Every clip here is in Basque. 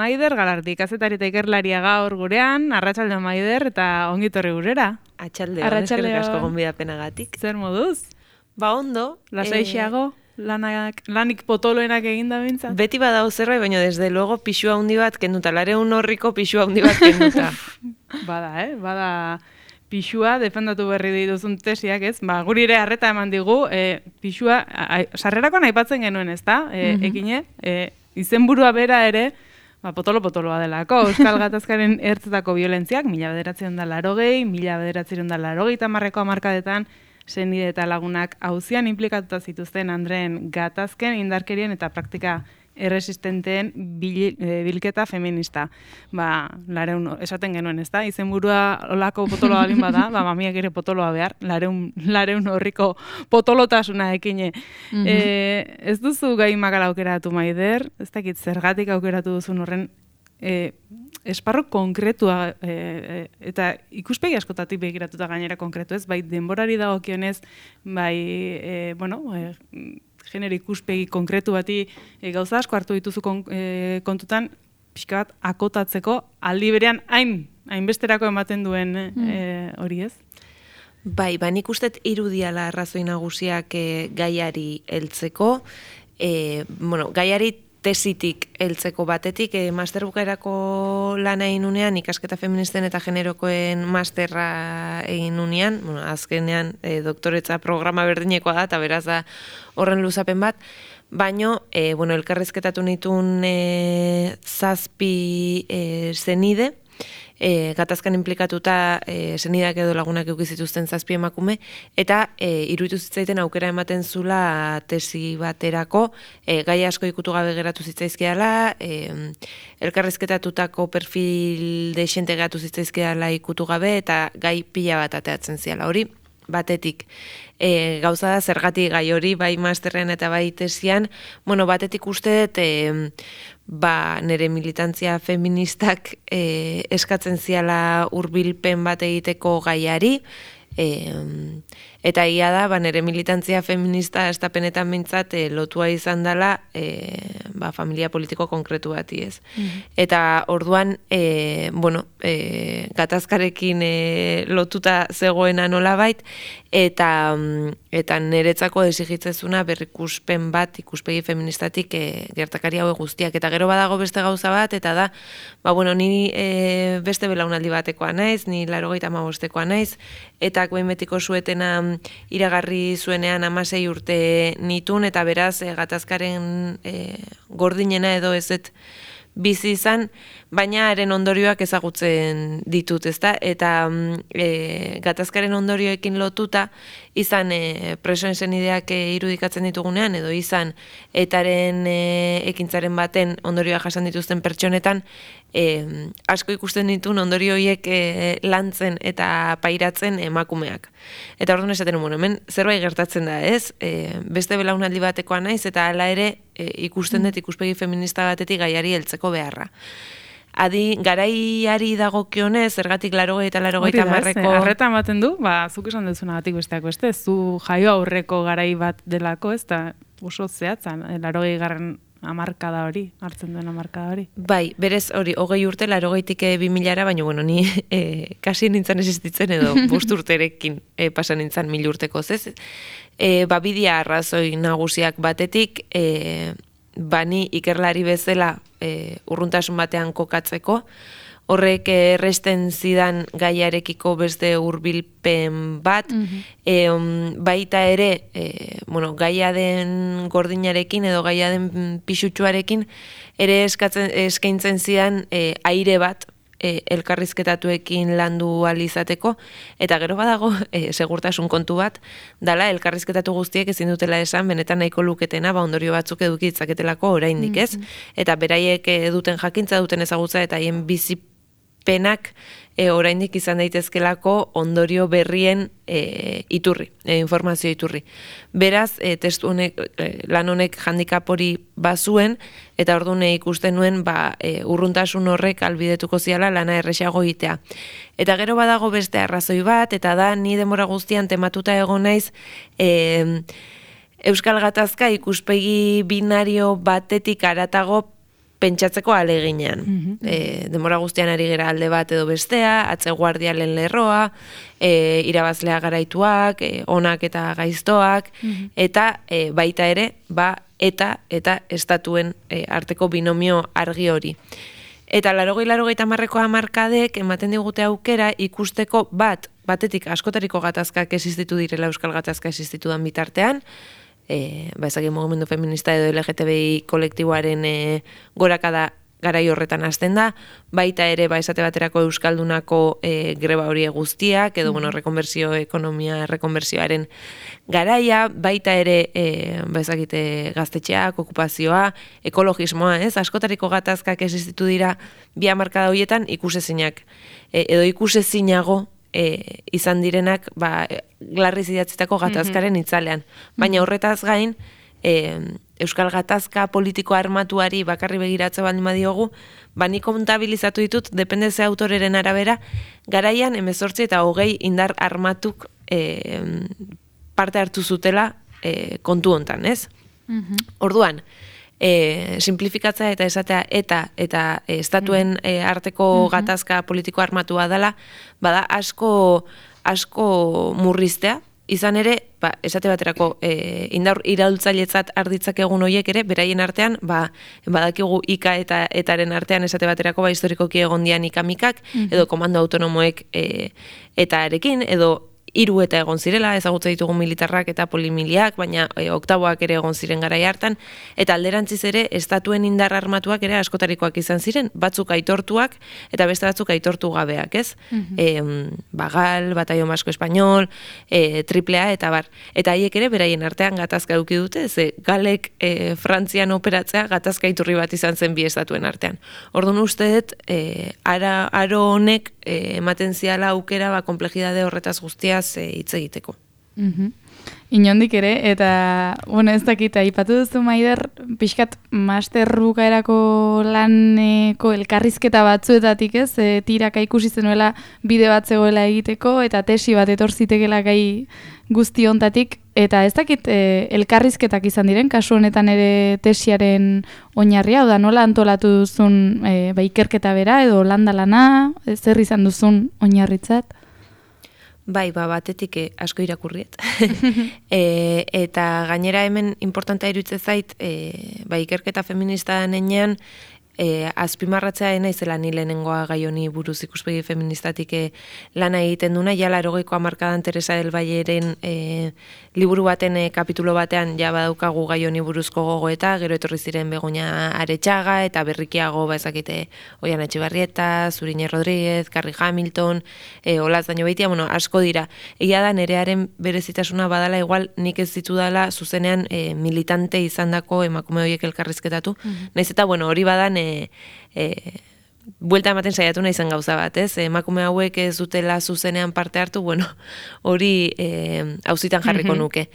Maider Galardi, kazetari eta ikerlaria gaur gurean, arratsalde Maider, eta ongitorri gurera. Atxaldeon, eskerrik asko gonbidapenagatik. Zer moduz? Ba ondo. Lasaixeago, lanik potoloenak eginda bintzat? Beti badau zerbait, baina desde luego pixua handi bat kenduta, 200 horriko pixua handi bat kenduta. Bada pixua, defendatu berri dituzun tesiak, ez? Ba, guri ere harreta eman digu, pixua, sarrerakoan aipatzen genuen, ez da? Ekine, izenburua bera ere, potoloa delako. Euskal Gatazkaren ertzetako violentziak, 1980, 1980ko hamarkadetan, senide eta lagunak auzian implikatuta zituzten Andreen gatazken, indarkerien eta praktika erresistenteen bilketa feminista. Esaten genuen, ez da? Izenburua olako potoloa balin bada, mamiak ere potoloa behar, lareun horriko potolotasuna ekine. Ez duzu gai makala aukeratu, Maider, ez dakit zergatik aukeratu duzun horren esparro konkretua eta ikuspegi askotatik begiratuta gainera konkretu, ez? Bai denborari dagokionez, bai, genero ikuspegi konkretu bati gauza asko hartu dituzu kontutan, pixka bat akotatzeko aldi berean hainbesterako ematen duen hori, ez? Bai, nik ustet irudiala arrazoi nagusiak gaiari heltzeko, gaiari tesitik heltzeko batetik, masterbukaerako lana egin unean, ikasketa feministen eta generokoen masterra egin unean, azkenean doktoretza programa berdinekoa da, eta beraz da horren luzapen bat, baino, elkarrezketatu nituen 7 zenide, gatazkan implikatuta senideak edo lagunak eukizituzten 7 emakume, eta iruditu zitzaiten aukera ematen zula tesi baterako, gai asko ikutu gabe geratu zitzaizkiala, elkarrezketatutako perfil deixente geratu zitzaizkiala ikutu gabe, eta gai pila bat ateatzen ziala hori. Batetik, gauza da zergatik gai hori, bai masterrean eta bai tesian, batetik uste dut, nire militantzia feministak eskatzen ziala hurbilpen bat egiteko gaiari, eta ia da, nire militantzia feminista estapenetan bintzat lotua izan dela familia politiko konkretu bati, ez. Eta orduan, gatazkarekin lotuta zegoena nolabait, eta niretzako desigitzezuna berrikuspen bat ikuspegi feministatik gertakari hauek guztiak. Eta gero badago beste gauza bat, eta da, ni beste belaunaldi batekoa naiz, ni 85-koa naiz, eta behin betiko suetena iragarri zuenean 16 urte nitun, eta beraz gatazkaren gordinena edo ezet bizi izan, baina haren ondorioak ezagutzen ditut, ezta? Eta gatazkaren ondorioekin lotuta, izan presoen senideak irudikatzen ditugunean, edo izan etaren ekintzaren baten ondorioak jasan dituzten pertsonetan, asko ikusten ditun ondorio horiek lantzen eta pairatzen emakumeak. Eta orduan esaten hemen zerbait gertatzen da, ez? Beste belaunaldi batekoa naiz, eta hala ere ikusten dut ikuspegi feminista batetik gaiari heltzeko beharra. Garaiari dagokionez, zergatik 80 eta 90ko... Arreta ematen du, zuk esan duzunagatik besteak beste, zu jaio aurreko garai bat delako, ez da oso zehatzan, 80garren hamarkada hori, hartzen duen hamarkada hori. Bai, berez hori, 20 urte, 80tik 2000-ara, baina, ni kasi nintzen existitzen edo 5 urterekin pasan nintzen 1000 urteko, ez? Bidia arrazoi nagusiak batetik, ni ikerlari bezala urruntasun batean kokatzeko, horrek erresten zidan gaiarekiko beste hurbilpen bat, baita ere, gaia den gordinarekin edo gaia den pisutsuarekin, ere eskaintzen zidan aire bat, elkarrizketatuekin landu alizateko, eta gero badago segurtasun kontu bat, dala elkarrizketatu guztiek ezin dutela esan, benetan nahiko luketena, ondorio batzuk eduki ditzaketelako oraindik, ez? Eta beraiek duten jakintza, duten ezagutza, eta haien bizipenak oraindik izan daitezkelako ondorio berrien iturri, informazio iturri. Beraz, testu honek, lan honek handikap hori bazuen, eta orduan ikusten nuen urruntasun horrek albidetuko ziala lana erresago egitea. Eta gero badago beste arrazoi bat, eta da ni denbora guztian tematuta egon naiz Euskal Gatazka ikuspegi binario batetik haratago pentsatzeko aleginean. Denbora guztian ari gera alde bat edo bestea, atze guardialen lerroa, irabazlea garaituak, onak eta gaiztoak, eta baita ere, eta estatuen arteko binomio argi hori. Eta 80-90 hamarkadek ematen digute aukera ikusteko batetik askotariko gatazkak existitu direla euskal gatazka existitu dan bitartean, ezagik mugimendu feminista edo LGTBI kolektiboaren gorakada garai horretan hasten da, baita ere esate baterako euskaldunako greba hori guztiak, edo rekonbertsio ekonomia, rekonbertsioaren garaia, baita ere ezagite gaztetxeak, okupazioa, ekologismoa, askotariko gatazkak existitu dira bi hamarkada horietan ikusezinak, edo ikusezinago izan direnak Glarriz idatzitako gatazkaren itzalean. Baina horretaz gain, euskal gatazka politiko armatuari bakarri begiratze baldin badiogu, nik kontabilizatu ditut, depende ze autoreren arabera, garaian 18 eta 20 indar armatuk parte hartu zutela kontu hontan, ez? Orduan, simplifikatzea eta esatea eta estatuen arteko gatazka politiko armatua dela, bada asko murriztea, izan ere, esate baterako indar iraultzailetzat arditzak egun horiek ere, beraien artean, badakigu ika eta etaren artean esate baterako historikoki egon dian ikamikak, edo komando autonomoek etarekin, edo 3 eta egon zirela, ezagutza ditugu militarrak eta polimiliak, baina oktaboak ere egon ziren garai hartan, eta alderantziz ere, estatuen indar armatuak ere askotarikoak izan ziren, batzuk aitortuak, eta beste batzuk aitortu gabeak, ez? Bagal, Batallón Vasco Español, AAA, eta bar. Eta haiek ere, beraien artean gatazka eduki dute, ze galek Frantzian operatzea gatazka iturri bat izan zen bi estatuen artean. Orduan uste dut, aro honek ematen ziala aukera komplexidade horretaz guztia hitz egiteko. Inondik ere, eta, ez dakit, aipatu duzu Maider, pixkat master bukaerako laneko elkarrizketa batzuetatik, ez? Tiraka ikusi zenuela bide bat zegoela egiteko, eta tesi bat etorzitekela gai guzti hontatik, eta ez dakit elkarrizketak izan diren, kasu honetan ere tesiaren oinarria, oda nola antolatu duzun ikerketa bera, edo landa lana, zer izan duzun oinarritzat? Batetik asko irakurriet. Eta gainera hemen importantea iruditzen zait, ikerketa feminista denean, azpimarratzea naizela ni lehenengoa gai honi buruz ikuspegi feministatik lana egiten duna, ja 80ko hamarkadan Teresa del Valleren liburu baten kapitulo batean ja badaukagu gai honi buruzko gogoeta, gero etorri ziren Begoña Aretxaga eta berrikiago ezakite Oian Etxebarrieta, Zurine Rodríguez, Carrie Hamilton, Olaz Dañobeitia, asko dira. Egia da nerearen berezitasuna badala igual nik ez ditudala zuzenean militante izandako emakume horiek elkarrizketatu. Naiz eta hori badan buelta ematen saiatu nahi izan gauza bat, ez? Emakume hauek ez dutela zuzenean parte hartu, hori auzitan jarriko nuke.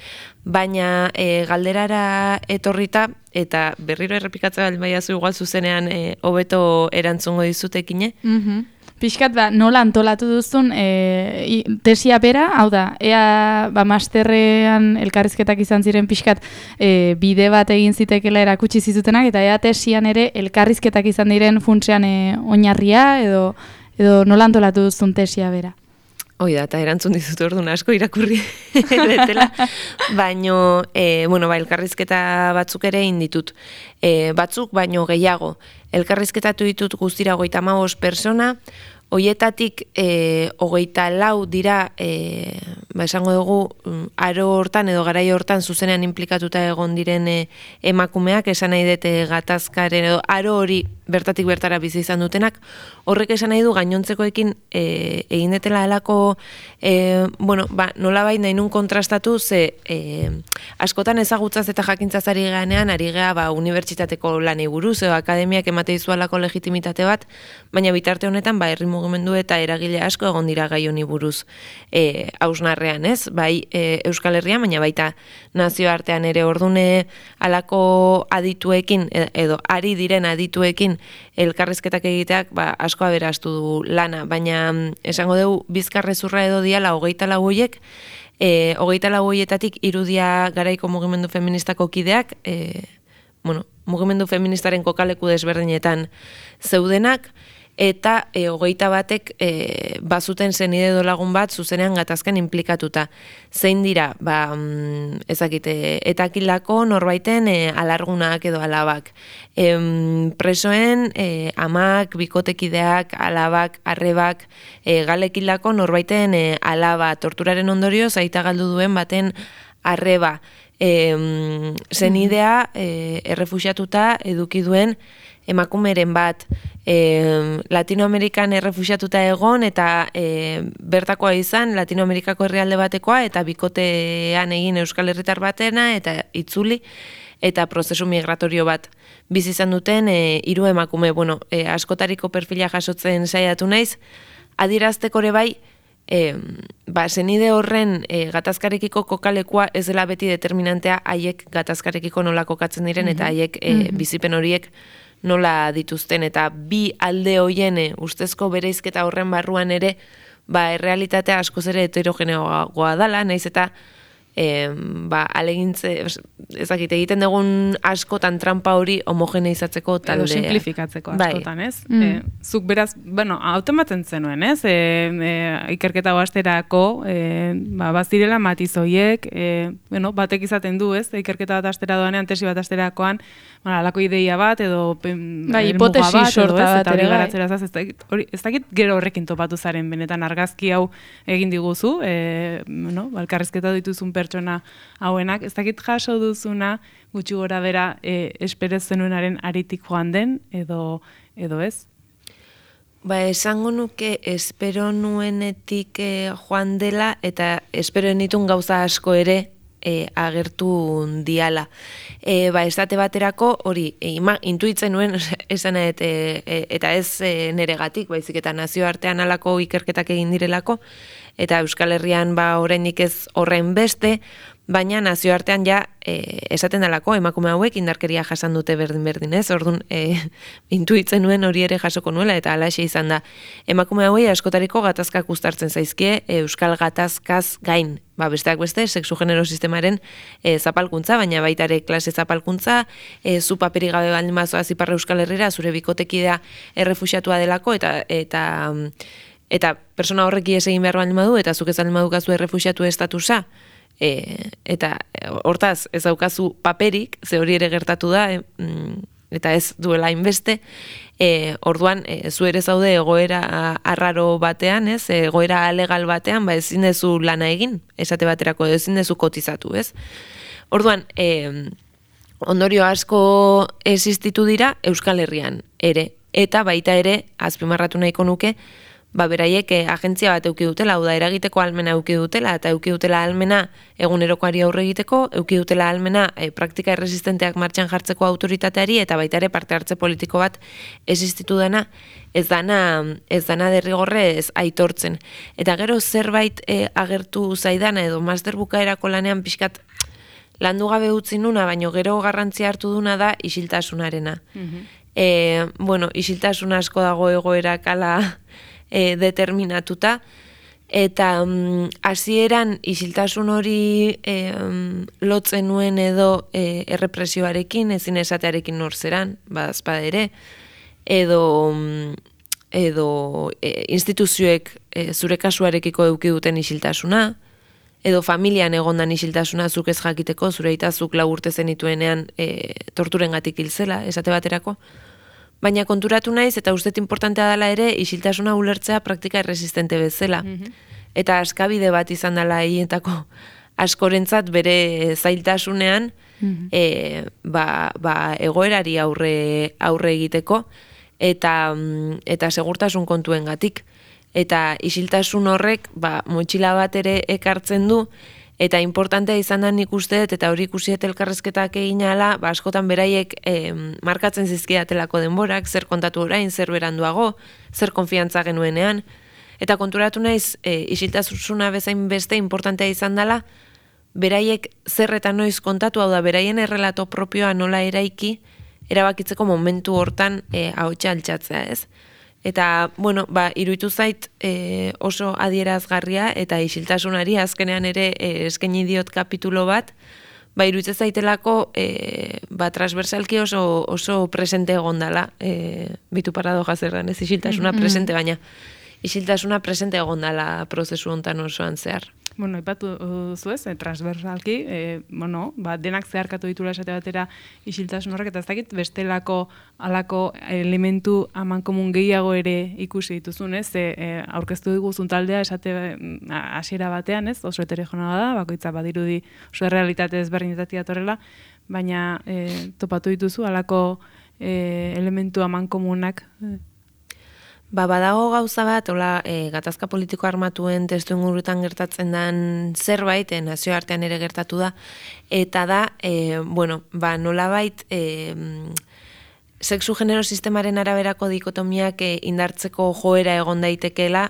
Baina galderara etorrita, eta berriro errepikatza baldin baiazu igual zuzenean hobeto erantzungo dizutekine. Pixkat, nola antolatu duzun tesia bera, hau da, ea masterrean elkarrizketak izan ziren pixkat bide bat egin zitekela erakutsi zizutenak, eta ea tesian ere elkarrizketak izan diren funtsean oinarria, edo nola antolatu duzun tesia bera. Hoi da, eta erantzun dizut orduan asko irakurri detela, baino, elkarrizketa batzuk ere inditut. Batzuk, baino gehiago. Elkarrizketatu ditut guztira 35 persona, hoietatik 24 dira, esango dugu, aro hortan edo garai hortan zuzenean implikatuta egon diren emakumeak, esan nahi dute gatazkaren edo aro hori bertatik bertara bizi izan dutenak, horrek esan nahi du gainontzekoekin egin detela alako, nolabait nahi nun kontrastatu, ze askotan ezagutzaz eta jakintzaz ari ganean, ari gea unibertsitateko lanei buruz, edo akademiak emate dizualako legitimitate bat, baina bitarte honetan, herri mugimendu eta eragile asko egon dira gai honi buruz hausnarrean, ez? Bai Euskal Herrian, baina baita nazioartean ere ordune alako adituekin, edo ari diren adituekin elkarrizketak egiteak asko aberastu du lana, baina esango dugu bizkarrezurra edo diala 24 horiek, 24 horietatik irudia garaiko mugimendu feministako kideak, mugimendu feministaren kokaleku desberdinetan zeudenak, eta 21ek bazuten zenide edo lagun bat zuzenean gatazkan implikatuta. Zein dira, ezakite, etakildako norbaiten alargunak edo alabak. Presoen amak, bikotekideak, alabak, arrebak, galekildako norbaiten alaba, torturaren ondorioz aita galdu duen baten arreba. Zenidea errefuxiatuta eduki duen emakumeren bat, Latinoamerikan errefuxiatuta egon eta bertakoa izan Latinoamerikako herrialde batekoa eta bikotean egin Euskal Herritar batena eta itzuli eta prozesu migratorio bat bizi izan duten 3 emakume. Askotariko perfila jasotzen saiatu naiz, adierazteko ere bai, zenide horren gatazkarekiko kokalekua ez dela beti determinantea haiek gatazkarekiko nola kokatzen diren eta haiek bizipen horiek nola dituzten, eta bi alde hoien ustezko bereizketa horren barruan ere errealitatea askoz ere heterogeneoagoa dala, naiz eta alegintze, ezakit, egiten dugun askotan trampa hori homogeneizatzeko taldea. Edo simplifikatzeko askotan, ez? Zuk beraz, automatzen zenuen, ez? Ikerketa basterako, bazirela matizoiek, batek izaten du, ez? Ikerketa bat astera doanean, tesi bat asterakoan, alako ideia bat, edo hipotesi sorta bat ere bai. Ez dakit gero horrekin topatu zaren, benetan argazki hau egin diguzu, elkarrizketa dituzun pertsona hauenak, ez dakit jaso duzuna gutxi gora bera esperez zenuenaren aritik joan den, edo ez? Esango nuke espero nuenetik joan dela, eta espero nitun gauza asko ere agertu diala. Estate baterako hori, intuitzen nuen esan eta ez neregatik, baizik eta nazioartean alako ikerketak egin direlako, eta Euskal Herrian oraindik ez horren beste, baina nazioartean esaten dalako emakume hauek indarkeria jasan dute berdin-berdin, ez? Orduan, intuitzen nuen hori ere jasoko nuela, eta halaxe izan da. Emakume hauei askotariko gatazkak uztartzen zaizkie, euskal gatazkaz gain. Besteak beste, sexu-genero sistemaren zapalkuntza, baina baita ere klase zapalkuntza, zu paperi gabe baldin bazoaz Ipar Euskal Herrira, zure bikotekidea errefuxiatua delako, eta persona horreki ez egin behar baldin badu, eta zuk ez baldin badukazu errefuxiatu estatusa, eta hortaz ez daukazu paperik, ze hori ere gertatu da, eta ez duela hainbeste, orduan zu ere zaude egoera arraro batean, ez, egoera alegal batean, ezin dezu lana egin, esate baterako, ezin dezu kotizatu, ez. Orduan, ondorio asko existitu dira Euskal Herrian ere, eta baita ere azpimarratu nahiko nuke, beraiek agentzia bat eduki dutela, hau da eragiteko ahalmena eduki dutela, eta eduki dutela ahalmena egunerokoari aurre egiteko, eduki dutela ahalmena praktika erresistenteak martxan jartzeko autoritateari, eta baita ere parte hartze politiko bat existitu dena, ez dana derrigorrez aitortzen. Eta gero zerbait agertu zaidana, edo master bukaerako lanean pixkat landu gabe utzi nuna, baino gero garrantzia hartu duna da isiltasunarena. Isiltasun asko dago egoerak ala determinatuta, eta hasieran isiltasun hori lotzen nuen edo errepresioarekin, ezin esatearekin norzeran, badazpada ere, edo instituzioek zure kasuarekiko eduki duten isiltasuna, edo familian egondan isiltasuna zuk ez jakiteko, zure aitazuk 4 urte zenituenean torturengatik hil zela, esate baterako. Baina konturatu naiz, eta ustet importantea dela ere, isiltasuna ulertzea praktika erresistente bezala. Eta askabide bat izan dela hientako askorentzat bere zailtasunean, egoerari aurre egiteko, eta segurtasun kontuengatik. Eta isiltasun horrek motxila bat ere ekartzen du, eta importantea izan da nik usteet, eta hori ikusiet elkarrezketak egin ala, askotan beraiek markatzen zizkiatelako denborak, zer kontatu orain, zer beranduago, zer konfiantza genuenean, eta konturatu naiz isiltasuna bezain beste importantea izan dela, beraiek zer eta noiz kontatu, hau da, beraien errelato propioa nola eraiki, erabakitzeko momentu hortan ahotsa altxatzea, ez? Eta, iruditu zait oso adierazgarria eta isiltasunari azkenean ere eskaini diot kapitulo bat, iruditzen zaitelako transversalki oso presente egon dela, bitu paradoja zerran, ez isiltasuna presente, baina isiltasuna presente egon dela prozesu hontan osoan zehar. Bueno, ipatu zuez, transversalki, denak zeharkatu ditula esate batera isiltasun horrek, eta ez dakit bestelako alako elementu amankomun gehiago ere ikusi dituzun, ez? Aurkeztu diguzun taldea esate hasiera batean, ez? Oso heterogeneoa da, bakoitza badirudi oso realitate ezberdinetatik datorrela, baina topatu dituzu alako elementu amankomunak. Badago gauza bat, gatazka politiko armatuen testu ingurutan gertatzen den zerbait, nazioartean ere gertatu da, eta da, nolabait, sexu genero sistemaren araberako dikotomiak indartzeko joera egon daitekeela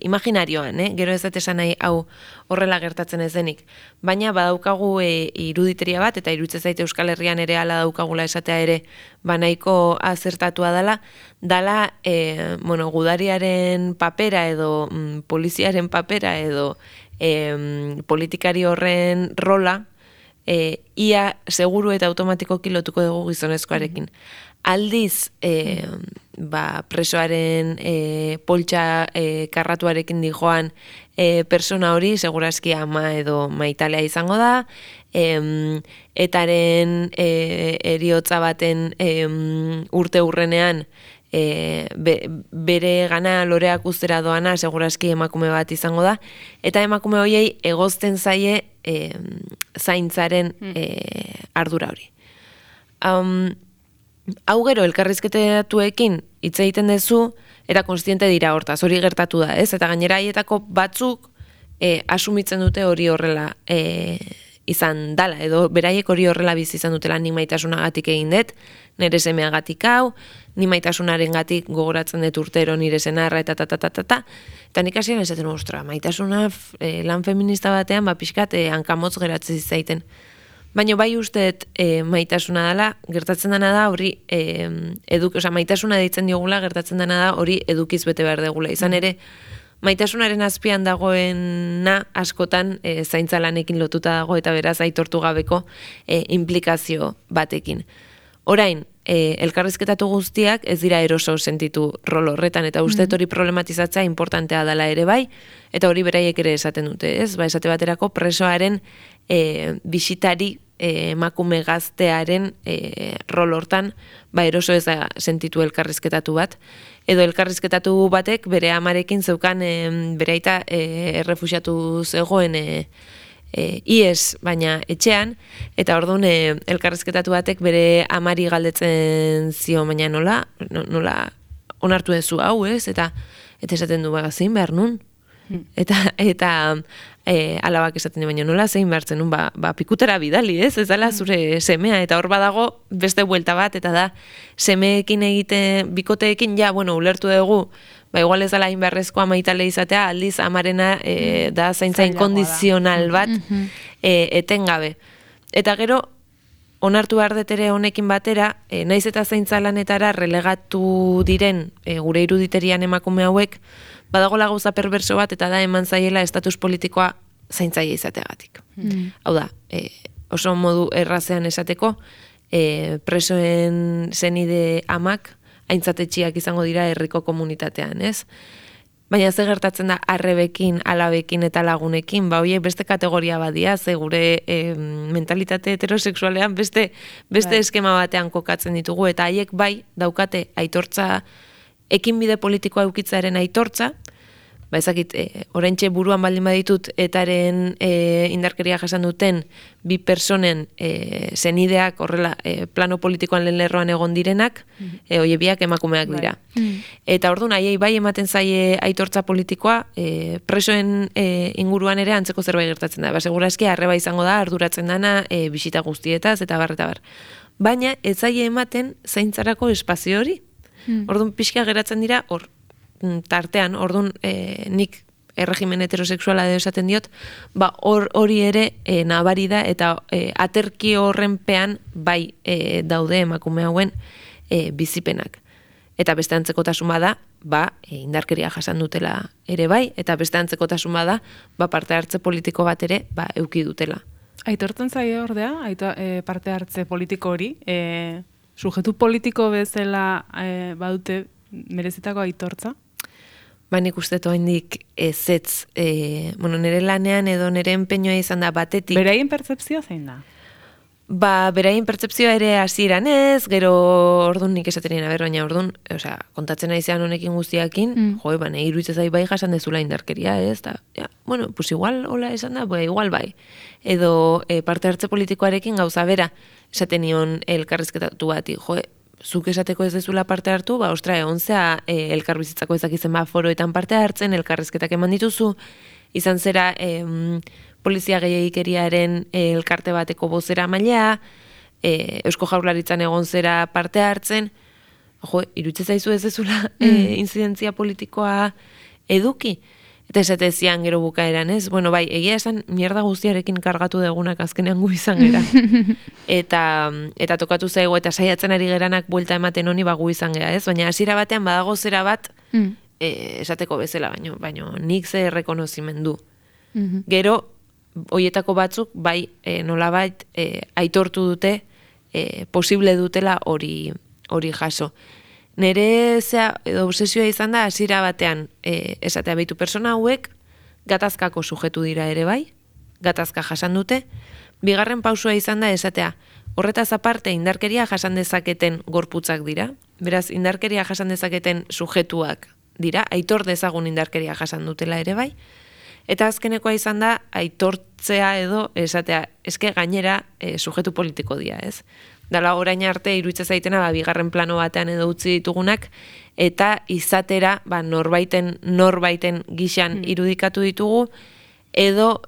imaginarioan, gero ez dut esan nahi hau horrela gertatzen ez denik. Baina badaukagu iruditeria bat, eta iruditzen zait Euskal Herrian ere hala daukagula esatea ere nahiko azertatua dala gudariaren papera edo poliziaren papera edo politikari horren rola ia seguru eta automatikoki lotuko dugu gizonezkoarekin. Aldiz, presoaren poltsa karratuarekin dijoan persona hori, segurazki ama edo maitalea izango da, etaren eriotza baten urte hurrenean bere gana loreak ustera doana, segurazki emakume bat izango da, eta emakume horiei egozten zaie zaintzaren ardura hori. Hau gero, elkarrizketatuekin hitz egiten duzu, eta konstiente dira hortaz, hori gertatu da, ez? Eta gainera haietako batzuk asumitzen dute hori horrela izan dala, edo beraiek hori horrela bizi izan dutela nik maitasunagatik egin dut, nire semeagatik hau, nik maitasunaren gatik gogoratzen dut urtero nire senarra, eta nik hasieran esaten ostra, maitasuna lan feminista batean, pixkat hankamotz geratzen zaiten. Baina bai usteet maitasuna dela, gertatzen dena da hori, maitasuna deitzen diogula, gertatzen dena da hori edukiz bete behar degula. Izan ere, maitasunaren azpian dagoena askotan zaintzalanekin lotuta dago eta beraz aitortu gabeko implikazio batekin. Orain, elkarrizketatu guztiak ez dira eroso sentitu rol horretan, eta usteet hori problematizatzea importantea dela ere bai, eta hori beraiek ere esaten dute, ez? Esate baterako presoaren bisitari emakume gaztearen rol hortan, eroso ez da sentitu elkarrizketatu bat, edo elkarrizketatu batek bere amarekin zeukan bere aita errefuxiatu zegoen ies, baina etxean, eta orduan elkarrizketatu batek bere amari galdetzen zio, baina nola onartu duzu hau, ez? Eta esaten du zein behar nun? Eta alabak esaten du, baina nola zein behar zen nun, pikutera bidali, ez? Ez dela zure semea, eta hor badago beste buelta bat, eta da semeekin egiten, bikoteekin, ulertu dugu, igual ez dela inberrezkoa maitale izatea, aldiz amarena da zaintza inkondizional bat etengabe. Eta gero, onartu behar detere honekin batera, naiz eta zaintza lanetara relegatu diren gure iruditerian emakume hauek, badagola gauza perverso bat, eta da eman zaiela estatus politikoa zaintzaile izateagatik. Hau da, oso modu errazean esateko, presoen zenide amak, aintzatetxiak izango dira herriko komunitatean, ez? Baina ze gertatzen da arrebekin, alabekin eta lagunekin, horiek beste kategoria badia, ze gure mentalitate heterosexualean beste eskema batean kokatzen ditugu, eta haiek bai daukate aitortza, ekinbide politikoa eukitzaren aitortza, ezakit, oraintxe buruan baldin baditut etaren indarkeria jasan duten bi personen zenideak horrela plano politikoan lehen lerroan egon direnak, oie biak emakumeak dira. Eta orduan, haiei bai ematen zaie aitortza politikoa, presoen inguruan ere antzeko zerbait gertatzen da. Segura eski arreba izango da, arduratzen dana, bisita guztietaz, eta bar. Baina, ez zaie ematen zaintzarako espazio hori. Orduan, pixka geratzen dira, hor, tartean, orduan nik erregimen heterosexuala edo esaten diot, hori ere nabari da, eta aterki horrenpean bai daude emakume hauen bizipenak. Eta beste antzekotasun bada, indarkeria jasan dutela ere bai, eta beste antzekotasun bada, parte hartze politiko bat ere, euki dutela. Aitortzen zaio ordea, parte hartze politiko hori, sujetu politiko bezala badute merezitako aitortza? Ba, nik uste toaindik ezetz, nire lanean edo nire empeñoa izan da batetik. Beraien pertzepzioa zein da? Ba, beraien pertzepzioa ere hasieran ez, gero ordun nik esaten nien, baina ordun, kontatzen naizean honekin guztiakin, nahi iruditzen zai bai jasan dezula indarkeria, ez, eta, pues igual hola esan da, igual bai. Edo parte hartze politikoarekin gauza bera, esaten nion elkarrizketatu bati, zuk esateko ez dezula parte hartu, ostra, egontzea elkarbizitzako ezakizen foroetan parte hartzen, elkarrizketak eman dituzu, izan zera polizia gehiagikeriaren elkarte bateko bozera mailea, Eusko Jaurlaritzan egon zera parte hartzen, iruditzen zaizu ez dezula inzidentzia politikoa eduki. Eta esate zian gero bukaeran, ez? Bai, egia esan mierda guztiarekin kargatu degunak azkenean gu izan gera. Eta tokatu zaigu eta saiatzen ari geranak buelta ematen honi gu izan gera, ez? Baina hasiera batean badago zera bat esateko bezala, baino nik ze errekonozimendu. Gero, hoietako batzuk, bai, nolabait aitortu dute, posible dutela hori jaso. Nere obsesioa izan da, hasiera batean, esatea behitu persona hauek, gatazkako sujetu dira ere bai, gatazka jasan dute, bigarren pausua izan da, esatea, horretaz aparte indarkeria jasan dezaketen gorputzak dira, beraz, indarkeria jasan dezaketen sujetuak dira, aitor dezagun indarkeria jasan dutela ere bai, eta azkenekoa izan da, aitortzea edo, esatea, eske gainera sujetu politiko dira, ez? Dala orain arte iruditzen zaitena bigarren plano batean edo utzi ditugunak eta izatera norbaiten gixan irudikatu ditugu edo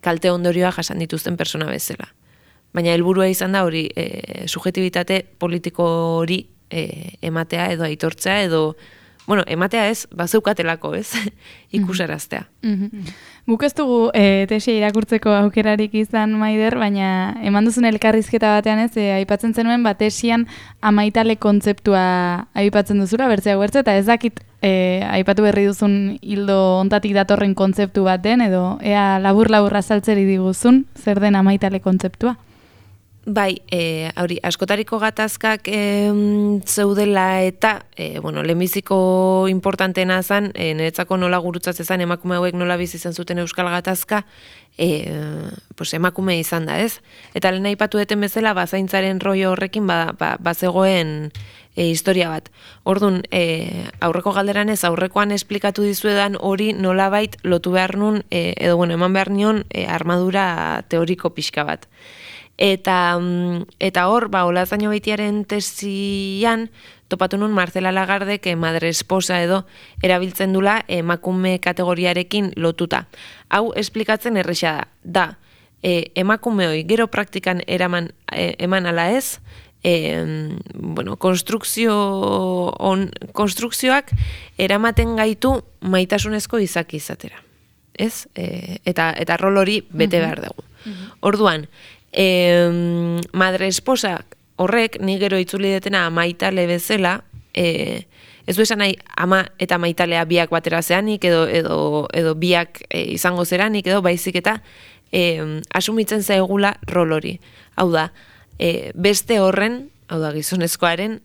kalte ondorioa jasan dituzten persona bezala. Baina helburua izan da hori subjektibitate politiko hori ematea edo aitortzea edo ematea ez, bazeukatelako ez, ikusaraztea. Guk ez dugu tesia irakurtzeko aukerarik izan, Maider, baina eman duzun elkarrizketa batean ez, aipatzen zenuen, tesian amaitale kontzeptua aipatzen duzula, bertzea eta ez dakit aipatu berri duzun hildo ontatik datorren kontzeptu baten, edo ea labur-labur azaltzeri diguzun, zer den amaitale kontzeptua? Bai, askotariko gatazkak zeudela eta, lehenbiziko importantena zan, niretzako nola gurutzatze zan, emakume hauek nola bizi izan zuten euskal gatazka, emakume izan da, ez? Eta lehen aipatu deten bezala, zaintzaren rollo horrekin bazegoen historia bat. Orduan, aurreko galderan ez, aurrekoan esplikatu dizuedan hori nolabait lotu behar nun, eman behar nion armadura teoriko pixka bat. Eta hor, Olazaino Beitiaren tesian, topatu nun Marcela Lagardek madre esposa edo erabiltzen dula emakume kategoriarekin lotuta. Hau esplikatzen erresa da. Emakume hoi gero praktikan eman ala ez, konstrukzioak eramaten gaitu maitasunezko izaki izatera. Ez? Eta rol hori bete behar dugu. Orduan, madre esposa horrek ni gero itzuli detena maitale bezala, ez du esan nahi ama eta maitalea biak batera zeanik edo biak izango zeranik edo baizik eta asumitzen zaigula rol hori. Hau da, beste horren, hau da gizonezkoaren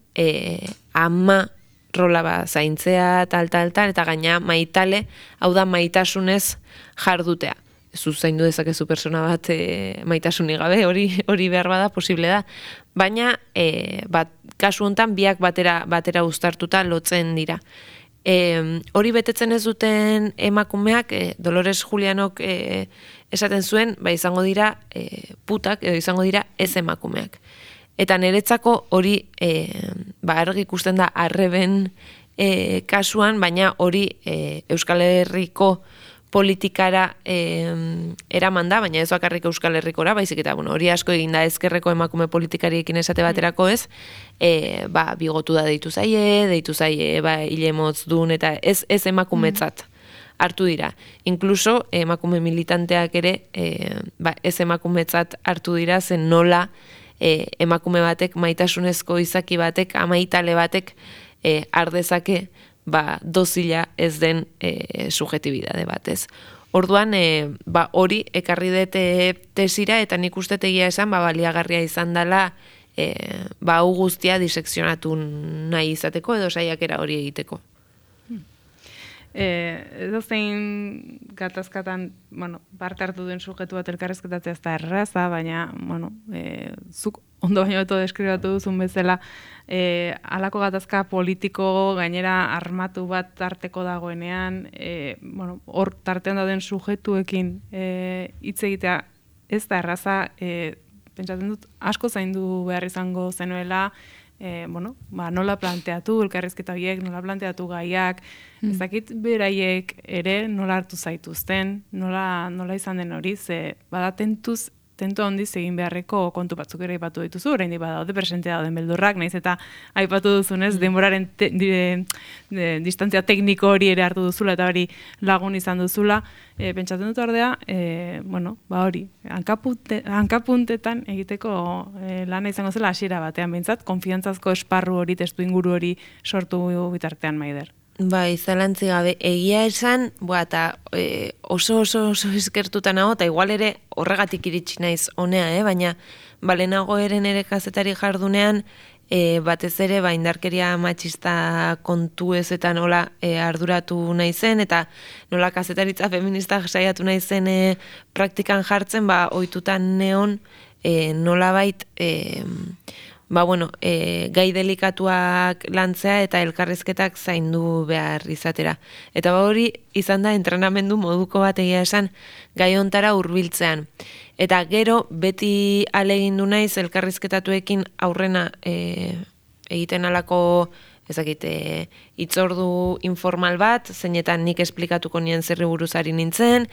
ama rola zaintzea eta gaina maitale, hau da maitasunez jardutea. Zaindu dezakezu persona bat maitasunik gabe, hori behar bada, posible da. Baina, kasu honetan, biak batera uztartuta lotzen dira. Hori betetzen ez duten emakumeak, Dolores Julianok esaten zuen, izango dira putak, edo izango dira ez emakumeak. Eta niretzako hori, argi ikusten da arreben kasuan, baina hori Euskal Herriko politikara eraman da, baina ez bakarrik Euskal Herrikora, baizik eta hori asko egin da ezkerreko emakume politikariekin esate baterako ez, bigotu da deitu zaie, hile motz dun, eta ez emakumetzat hartu dira. Inkluso emakume militanteak ere ez emakumetzat hartu dira, zen nola emakume batek, maitasunezko izaki batek, amaitale batek ardezake dozila ez den subjetibidade batez. Orduan, hori ekarri dut tesira, eta nik uste egia esan, baliagarria izan dela, hau guztia disekzionatu nahi izateko, edo saiakera hori egiteko. Edo zein gatazkatan, parte hartu duen sujetu bat elkarrezketatzea ez da erraza, baina, zuk ondo baino beto deskribatu duzun bezala, halako gatazka politiko gainera armatu bat tarteko dagoenean, hor tartean dauden sujetuekin hitz egitea ez da erraza, pentsatzen dut asko zaindu behar izango zenuela, nola planteatu elkarrizketa horiek, nola planteatu gaiak, ez dakit beraiek ere nola hartu zaituzten, nola izan den hori, ze bada tentu handiz egin beharreko kontu batzuk ere aipatu dituzu, oraindik badaude presente dauden beldurrak, naiz eta aipatu duzunez, denboraren distantzia tekniko hori ere hartu duzula eta hori lagun izan duzula, pentsatzen dut ordea, hori, hankapuntetan egiteko lana izango zela hasiera batean behintzat, konfiantzazko esparru hori, testu inguru hori sortu bitartean Maider. Bai, zalantzi gabe, egia esan, eta oso eskertuta nago, eta igual ere horregatik iritsi naiz honea, baina balenago ere kazetari jardunean, batez ere indarkeria matxista kontu ez eta nola arduratu naizen, eta nola kazetaritza feminista saiatu naizen praktikan jartzen, ohitutan neon nolabait gai delikatuak lantzea eta elkarrizketak zaindu behar izatera. Eta hori izan da entrenamendu moduko bat egia esan gai hontara hurbiltzean. Eta gero beti alegindu naiz elkarrizketatuekin aurrena egiten alako hitzordu informal bat, zeinetan nik esplikatuko nien zerri buruz ari nintzen,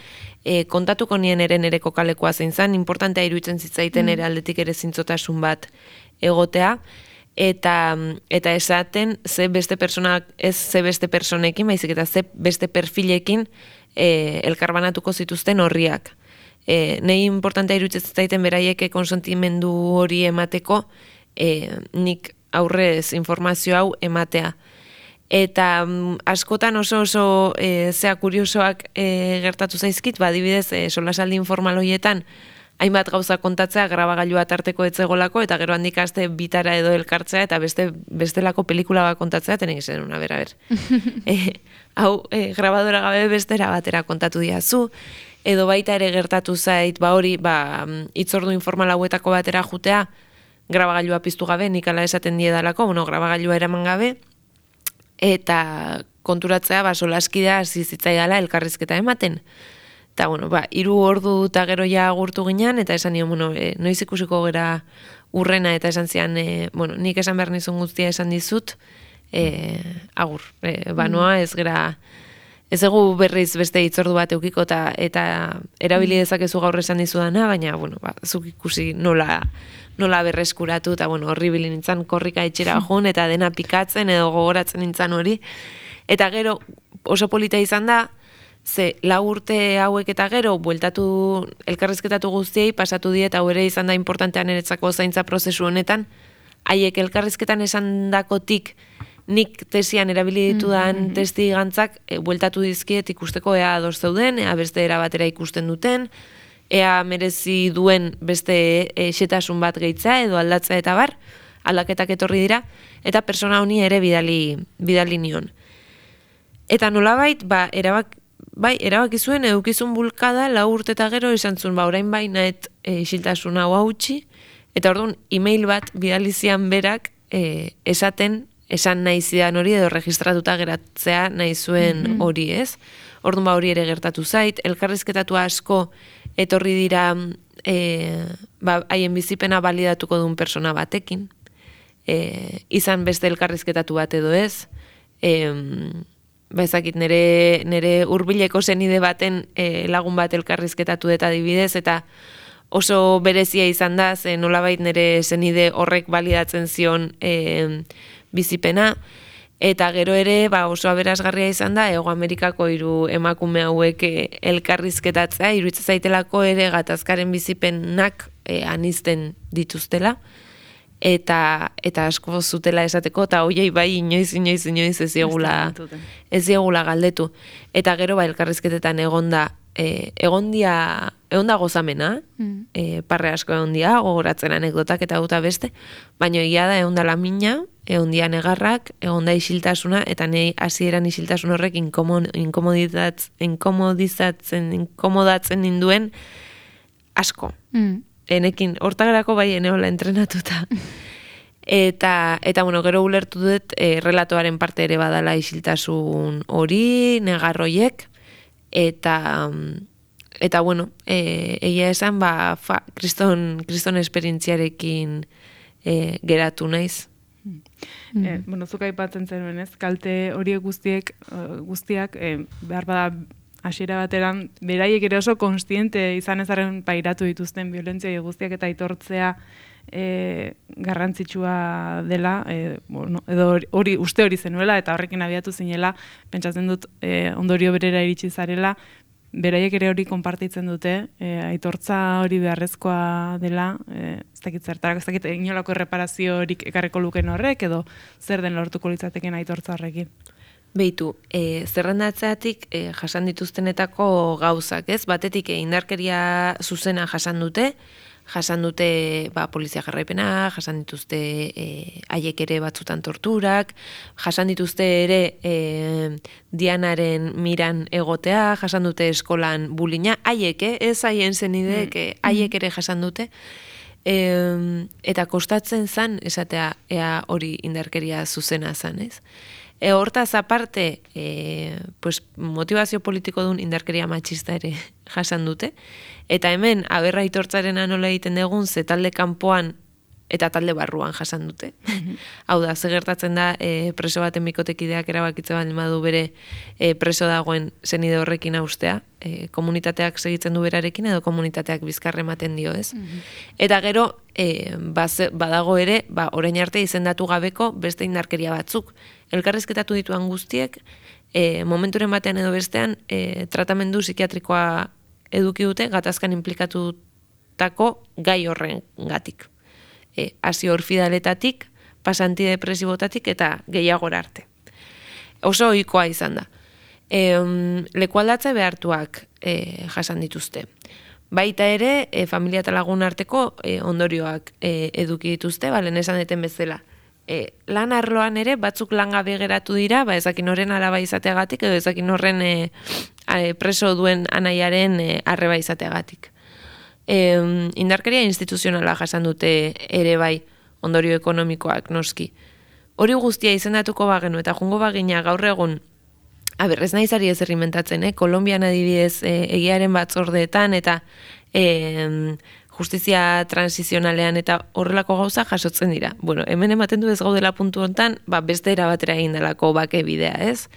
kontatuko nien ere nere kokalekoa zein zen, importantea iruditzen zitzaiten ere aldetik ere zintzotasun bat egotea, eta esaten ze beste personekin, baizik eta ze beste perfilekin elkarbanatuko zituzten horriak. Nei importantea iruditzen zitzaiten beraiek konsentimendu hori emateko, nik aurrez informazio hau ematea. Eta askotan oso zea kuriosoak gertatu zaizkit, adibidez, solasaldi informal horietan, hainbat gauza kontatzea grabagailua tarteko etzegolako, eta gero handik aste bitara edo elkartzea, eta bestelako pelikula bat kontatzea, tenek izan una, ber. Hau, grabadora gabe bestera batera kontatu diazu, edo baita ere gertatu zait, hori, hitzordu informal hauetako batera jutea, grabagailua piztu gabe, nik ala esaten diedalako, grabagailua eraman gabe, eta konturatzea, solaskidea hasi zitzaidala elkarrizketa ematen. Eta, 3 ordu eta gero ja agurtu ginen, eta esan nion, noiz ikusiko gera urrena, eta esan zian, nik esan behar nizun guztia esan dizut, agur. Noa ez gera, ez egu berriz beste hitzordu bat eukiko, eta erabili dezakezu gaur esan dizudana, baina, zuk ikusi nola berreskuratu, eta horri nintzen korrika etxera joan, eta dena pikatzen edo gogoratzen nintzen hori. Eta gero oso polita izan da, ze 4 urte hauek eta gero bueltatu elkarrizketatu guztiei pasatu die, eta ere izan da importantean niretzako zaintza prozesu honetan, haiek elkarrizketan esandakotik nik tesian erabili ditudan testi gantzak bueltatu dizkiet ikusteko ea ados zeuden, ea beste era batera ikusten duten, ea merezi duen beste xetasun bat gehitzea edo aldatzea eta bar, aldaketak etorri dira, eta persona honi ere bidali nion. Eta nolabait, erabaki zuen edukizun bulkada 4 urte eta gero izan zuen, orain nahet isiltasun hau hautsi, eta orduan e-mail bat bidalizian berak esan nahi zidan hori edo registratuta geratzea nahi zuen hori, ez? Orduan hori ere gertatu zait, elkarrizketatu asko etorri dira haien bizipena balidatuko duen persona batekin, izan beste elkarrizketatu bat edo ez, ezakit nire hurbileko zenide baten lagun bat elkarrizketatu eta adibidez, eta oso berezia izan da, ze nolabait nire zenide horrek balidatzen zion bizipena, eta gero ere oso aberasgarria izan da, Hego Amerikako 3 emakume hauek elkarrizketatzea, iruditzen zaitelako ere gatazkaren bizipenak anizten dituztela, eta asko zutela esateko, eta hoiei inoiz ez diegula galdetu. Eta gero elkarrizketetan egonda egon da gozamena, parre asko egon dia, gogoratzen anekdotak eta guta beste, baina egia da egon da lamina, egon dia negarrak, egon da isiltasuna, eta nahi hasieran isiltasun horrek inkomodatzen ninduen asko. Enekin, hortagerako bai eneola entrenatuta. Eta bueno, gero ulertu dut relatoaren parte ere badala isiltasun hori, negarroiek, eta bueno, egia esan, kriston esperientziarekin geratu naiz. Bueno, zuk aipatzen zenuen, ez? Kalte horiek guztiak behar bada hasiera bateran, beraiek ere oso konstiente izan ezaren pairatu dituzten violentzia guztiak eta aitortzea garrantzitsua dela, edo uste hori zenuela, eta horrekin abiatu zinela, pentsatzen dut ondorio berera iritsi zarela, beraiek ere hori konpartitzen dute, aitortza hori beharrezkoa dela, ez dakit zertarak, ez dakit inolako erreparazio horik ekarreko luken horrek, edo zer den lortuko litzateken aitortza horrekin. Behitu, zerrendatzeatik jasan dituztenetako gauzak, ez? Batetik indarkeria zuzena jasan dute polizia jarraipena, jasan dituzte haiek ere batzutan torturak, jasan dituzte ere Dianaren miran egotea, jasan dute eskolan bulina, haiek, ez haien zenidek, haiek ere jasan dute, eta kostatzen zan, esatea, ea hori indarkeria zuzena zan, ez? Hortaz aparte, motivazio politiko duen indarkeria matxista ere jasan dute, eta hemen aberra aitortzaren anola egiten dugun, ze talde kanpoan eta talde barruan jasan dute. Hau da, ze gertatzen da preso baten bikotekideak erabakitze baldin badu bere preso dagoen zenide horrekin austea, komunitateak segitzen du berarekin edo komunitateak bizkarre ematen dio, ez? Eta gero, badago ere, orain arte izendatu gabeko beste indarkeria batzuk. Elkarrizketatu dituan guztiek, momenturen batean edo bestean, tratamendu psikiatrikoa eduki dute gatazkan implikatutako gai horren gatik. Hasi orfidaletatik, pasantidepresibotatik eta gehiagora arte. Oso ohikoa izan da. Lekualdatze behartuak jasan dituzte. Baita ere, familia eta lagun arteko ondorioak eduki dituzte, lehen esan deten bezala. Lan arloan ere, batzuk langabe geratu dira, ezakin horren araba izateagatik, edo ezakin horren preso duen anaiaren arreba izateagatik. Indarkeria instituzionala jasan dute ere bai, ondorio ekonomikoak noski. Hori guztia izendatuko bagenu eta jungo bagina gaur egun, ez naizari ez errimentatzen, Kolombian adibidez egiaren batzordeetan eta justizia transizionalean eta horrelako gauza jasotzen dira. Bueno, hemen ematen du ez gaudela puntu hontan, beste era batera egin delako bake bidea, ez?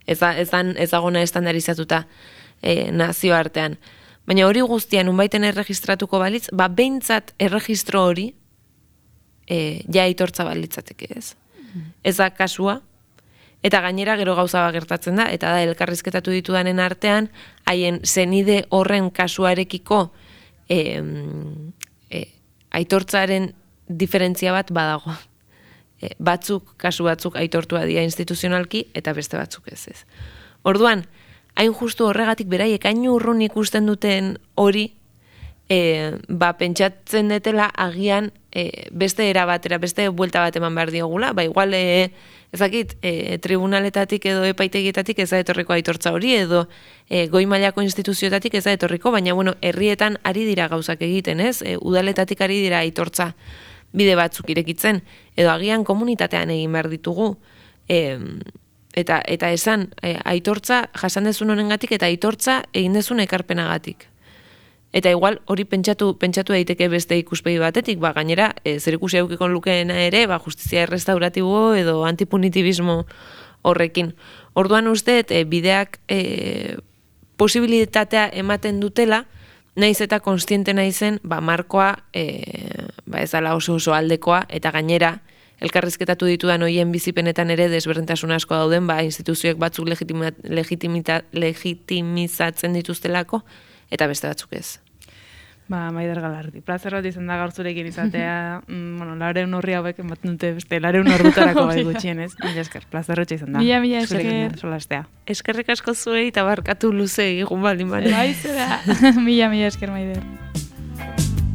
Ezagona estandarizatuta nazioartean. Baina hori guztian unbaiten erregistratuko balitz, behintzat erregistro hori ja aitortza balitzateke, ez? Ez da kasua, eta gainera gero gauza gertatzen da, eta da elkarrizketatu ditudanen artean, haien zenide horren kasuarekiko aitortzaren diferentzia bat badago. Kasu batzuk aitortua dira instituzionalki, eta beste batzuk ez. Orduan, hain justu horregatik beraiek hain urrun ikusten duten hori, pentsatzen detela agian beste era batera, beste buelta bat eman behar diogula, igual ezakit, tribunaletatik edo epaitegietatik ez da etorriko aitortza hori, edo goi mailako instituzioetatik ez da etorriko, baina herrietan ari dira gauzak egiten, ez? Udaletatik ari dira aitortza bide batzuk irekitzen, edo agian komunitatean egin behar ditugu, eta esan aitortza jasan dezun honengatik eta aitortza egin dezun ekarpenagatik. Eta igual hori pentsatu daiteke beste ikuspegi batetik, gainera zerikusi edukiko lukeena ere, justizia errestauratibo edo antipunitibismo horrekin. Orduan uste, bideak posibilitatea ematen dutela, naiz eta konstiente naizen, markoa ez dala oso aldekoa, eta gainera elkarrizketatu ditudan hoien bizipenetan ere desberdintasun asko dauden, instituzioek batzuk legitimizatzen dituztelako, eta beste batzuk ez. Maider Galardi. Plazer bat izan da gaur zurekin izatea, bueno, 400 horri hauek ematen dute beste 400 ordutarako bai gutxienez. Mila esker, plazerrotxe izan da. Mila esker. Solastea. Eskerrik asko zuei eta barkatu luze egun baldin bane. Bai, zera. Mila esker, Maider.